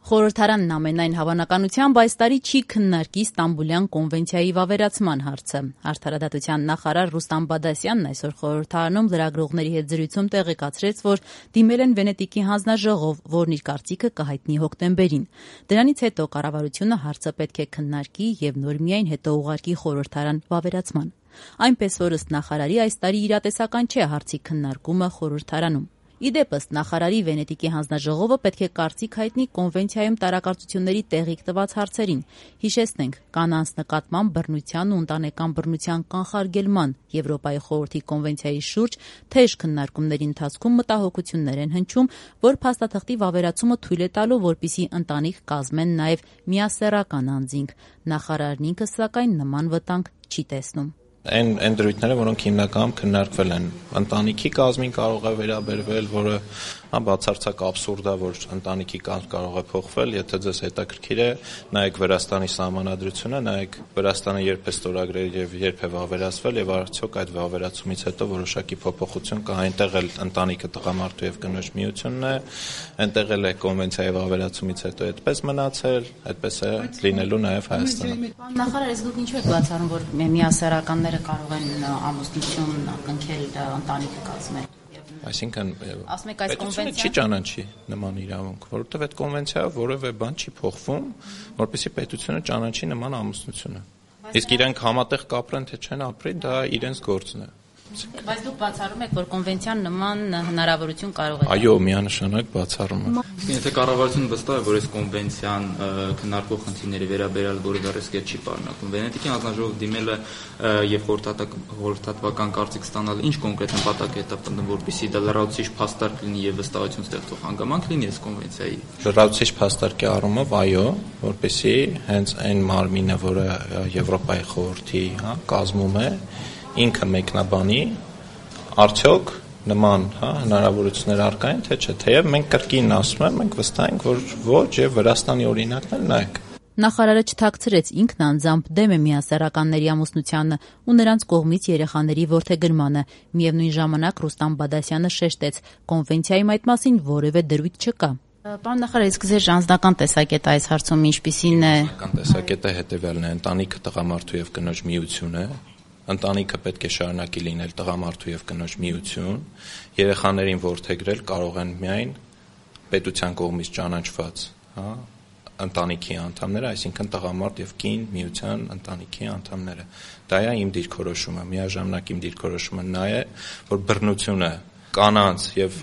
Խորհրդարանն ամենայն հավանականությամբ այս տարի չի քննարկի Ստամբուլյան կոնվենցիայի վավերացման հարցը։ Արդարադատության նախարար Ռուստամ Բադասյանն այսօր խորհրդարանում լրագրողների հետ զրույցում տեղեկացրեց, որ դիմել են Վենետիկի հանձնաժողով, որն իր կարծիքը կհայտնի հոկտեմբերին։ Դրանից հետո կառավարությունը հարցը պետք է քննարկի եւ նոր միայն հետո ուղարկի խորհրդարան վավերացման։ Այնպես որ ըստ նախարարի այս տարի իրատեսական չէ հարցի քննարկումը խորհրդարանում։ Իդեպ ըստ նախարարի Վենետիկի հանձնաժողովը պետք է կարծիք հայտնի կոնվենցիայում տարակարծությունների տեղիք տված հարցերին։ Հիշեցնենք, կանանց նկատմամբ բռնության ու ընտանեկան բռնության կանխարգելման Եվրոպայի խորհրդի կոնվենցիայի շուրջ թեժ քննարկումների ընթացքում մտահոգություններ են հնչում, որ փաստաթղթի վավերացումը թույլ է տալու, որպիսի ընտանիք կազմեն նաև միասեռական անձինք։ Նախարարն ինքը սակայն նման վտանգ չի տեսնում։ Այն դրույթները, որոնք հիմնականում քննարկվել են, ընտանիքի կազմին կարող է վերաբերվել, որը բացարձակ աբսուրդ է, որ ընտանիքի կազմ կարող է փոխվել, եթե ձեզ հետաքրքիր է, նայեք Վրաստանի սահմանադրությունը, նայեք Վրաստանը երբ է ստորագրել եւ երբ է վավերացվել եւ արդյոք այդ վավերացումից հետո որոշակի փոփոխություն կա, այնտեղ էլ ընտանիքը տղամարդու եւ կնոջ միությունն է, այնտեղ էլ է կոնվենցիայի վավերացումից հետո այդպես մնացել, այդպես է լինելու նաեւ Հայաստանում։ Նախարար, իսկ դուք ինչու եք բացառում, որ միասեռականները կարող են ամուսնություն կնքել ընտանիքը կազմել։ Այսինքն պետությունը չի ճանաչի նման իրավունք, որովհետև այդ կոնվենցիայով որևէ բան չի փոխվում, որպեսզի պետությունը ճանաչի նման ամուսնությունը։ Իսկ իրենք համատեղ կապրեն թե չեն ապրի, դա իրենց գործն է։ Բայց դուք բացառում եք, որ կոնվենցիան նման հնարավորություն կարող է։ Այո, միանշանակ բացառում եմ։ Եթե կառավարությունը վստահ է, որ այս կոնվենցիան քննարկող խնդիրների վերաբերյալ որևէ ռիսկ չի պարունակում, Վենետիկի հանձնաժողով դիմելը եւ խորհրդատվական կարծիք ստանալը ինչ կոնկրետ նպատակ է հետապնդում, որպեսզի դա լրացուցիչ փաստարկ լինի եւ վստահություն ստեղծող հանգամանք լինի այս կոնվենցիայի։ Լրացուցիչ փաստարկի առումով այո, որպեսզի հենց այն մարմինը, որը Եվրոպայի խորհրդի կազմում է, ինքը մեկնաբանի արդյոք նման հնարավորություններ առկա են թե չէ, թեև մենք կրկին ասում եմ, մենք վստահ ենք, որ ոչ եւ Վրաստանի օրինակն էլ նայեք։ Նախարարը չթաքցրեց, ինքն անձամբ դեմ է միասեռականների ամուսնությանը ու նրանց կողմից երեխաների որդեգրմանը։ Միևնույն ժամանակ Ռուստամ Բադասյանը շեշտեց, կոնվենցիայում այդ մասին որևէ դրույթ չկա։ Պարոն նախարար, իսկ ձեր անձնական տեսակետը այս հարցում ինչպիսին է։ Անձնական տեսակետը հետեւյալն է, ընտանիքը տղամարդու եւ կնոջ միություն է։ Ընտանիքը պետք է շարունակի լինել տղամարդու եւ կնոջ միություն, երեխաներին որդեգրել կարող են միայն պետության կողմից ճանաչված, ընտանիքի անդամները, այսինքն տղամարդ եւ կին միության ընտանիքի անդամները։ Դա է իմ դիրքորոշումը, միաժամանակ իմ դիրքորոշումը նա է, որ բռնությունը կանանց եւ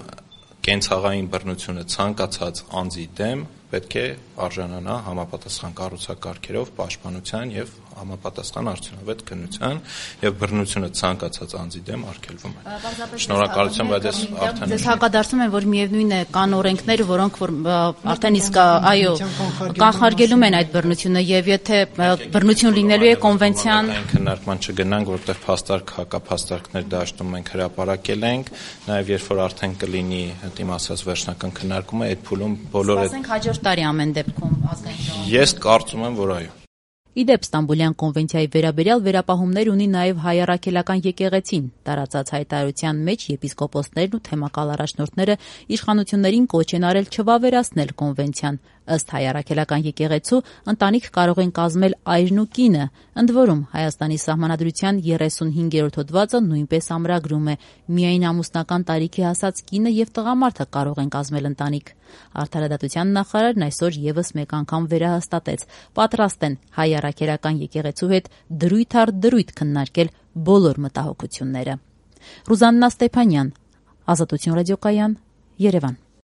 կենցաղային բռնությունը ցանկացած անձի դեմ պետք է արժանանա համապատասխան կառուցակարգերով պաշտպանության եւ համապատասխան արդյունավետ քննության եւ բռնությունը ցանկացած անձի դեմ արգելվում է։ Շնորհակալություն, բայց ես արդեն ձեզ հակադարձում եմ, որ միևնույն է կան օրենքներ, որոնք որ արդեն իսկ այո կանխարգելում են այդ բռնությունը եւ եթե բռնություն լինելու է կոնվենցիան քննարկման չգնանք, որտեղ փաստարկ հակափաստարկներ դաշտում մենք հրապարակել ենք, նաեւ երբ որ արդեն կլինի դիմ ասած վերջնական քննարկումը, այդ փուլում բոլորը հաջորդ տարի ամեն դեպքում ազգային ժողովը։ Ես կարծում եմ, որ այո։ Իդեպ Ստամբուլյան կոնվենցիայի վերաբերյալ վերապահումներ ունի նաև հայ առաքելական եկեղեցին։ Տարածած հայտարարության մեջ եպիսկոպոսներն ու թեմակալ առաջնորդները իշխանություններին կոչ են արել չվավերացնել կոնվենցիան։ Ըստ հայ առաքելական եկեղեցու ընտանիք կարող են կազմել այրն ու կինը։ Ընդ որում Հայաստանի սահմանադրության 35-րդ հոդվածը նույնպես ամրագրում է միայն ամուսնական տարիքի հասած կինը եւ տղամարդը կարող են կազմել ընտանիք։ Արդարադատության նախարարն այսօր եւս մեկ անգամ վերահաստատեց. պատրաստ են հայ առաքելական եկեղեցու հետ դրույթ առ դրույթ քննարկել բոլոր մտահոգությունները։ Ռուզաննա Ստեփանյան, Ազատություն ռադիոկայան, Երևան։